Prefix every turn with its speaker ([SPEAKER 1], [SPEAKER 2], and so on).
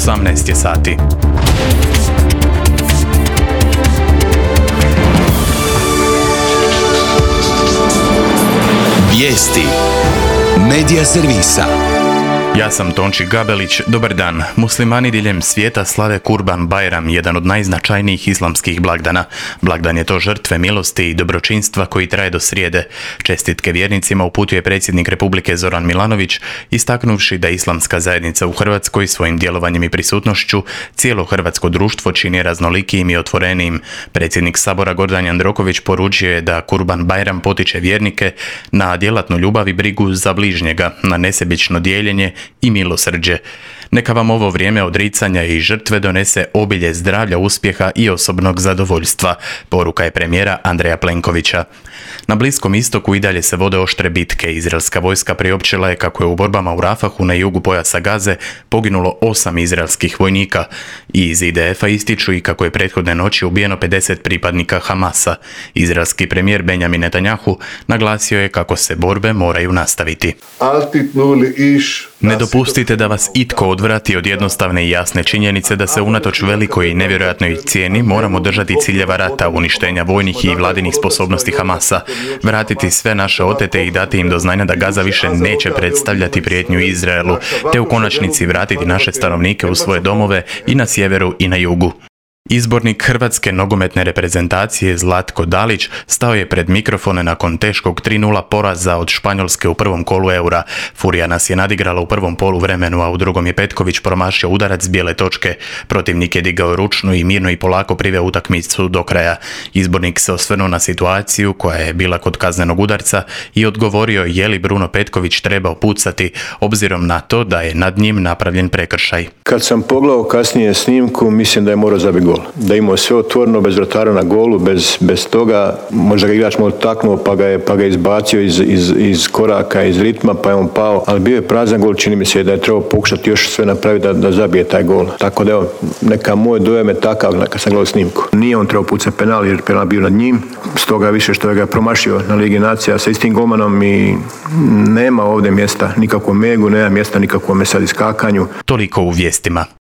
[SPEAKER 1] 18 je sati.
[SPEAKER 2] Vijesti Medija servisa.
[SPEAKER 1] Ja sam Tonči Gabelić, dobar dan. Muslimani diljem svijeta slave Kurban Bajram, jedan od najznačajnijih islamskih blagdana. Blagdan je to žrtve milosti i dobročinstva koji traje do srijede. Čestitke vjernicima uputio je predsjednik Republike Zoran Milanović, istaknuvši da islamska zajednica u Hrvatskoj svojim djelovanjem i prisutnošću cijelo hrvatsko društvo čini raznolikijim i otvorenijim. Predsjednik Sabora Gordan Jandroković poručio je da Kurban Bajram potiče vjernike na djelatnu ljubav i brigu za bližnjega, na nesebično dijeljenje i milosrđe. Neka vam ovo vrijeme odricanja i žrtve donese obilje zdravlja, uspjeha i osobnog zadovoljstva, poruka je premijera Andreja Plenkovića. Na Bliskom istoku i dalje se vode oštre bitke. Izraelska vojska priopćila je kako je u borbama u Rafahu na jugu pojasa Gaze poginulo 8 izraelskih vojnika. I iz IDF-a ističu i kako je prethodne noći ubijeno 50 pripadnika Hamasa. Izraelski premijer Benjamin Netanjahu naglasio je kako se borbe moraju nastaviti. Ne dopustite da vas itko odvrati od jednostavne i jasne činjenice da se unatoč velikoj i nevjerojatnoj cijeni moramo držati ciljeva rata, uništenja vojnih i vladinih sposobnosti Hamasa, vratiti sve naše otete i dati im do znanja da Gaza više neće predstavljati prijetnju Izraelu, te u konačnici vratiti naše stanovnike u svoje domove i na sjeveru i na jugu. Izbornik hrvatske nogometne reprezentacije Zlatko Dalić stao je pred mikrofone nakon teškog 3:0 poraza od Španjolske u prvom kolu Eura. Furija nas je nadigrala u prvom poluvremenu, a u drugom je Petković promašio udarac s bijele točke. Protivnik je digao ručnu i mirno i polako priveo utakmicu do kraja. Izbornik se osvrnuo na situaciju koja je bila kod kaznenog udarca i odgovorio je li Bruno Petković trebao pucati, obzirom na to da je nad njim napravljen prekršaj.
[SPEAKER 3] Kad sam pogledao kasnije snimku, mislim da je morao zabiti gol. Da je imao sve otvoreno, bez vratara na golu, bez toga, možda ga igrač malo taknuo pa ga izbacio iz koraka, iz ritma, pa je on pao, ali bio je prazan gol, čini mi se da je trebao pokušati još sve napraviti da zabije taj gol. Tako da evo, neka moj dojam je takav kad sam gledao snimku. Nije on trebao pucati penal jer penal bio nad njim, stoga više što je ga promašio na Ligi nacija sa istim golmanom i nema ovdje mjesta nikakvom megu, nema mjesta nikakvom sad iskakanju.
[SPEAKER 1] Toliko u vijestima.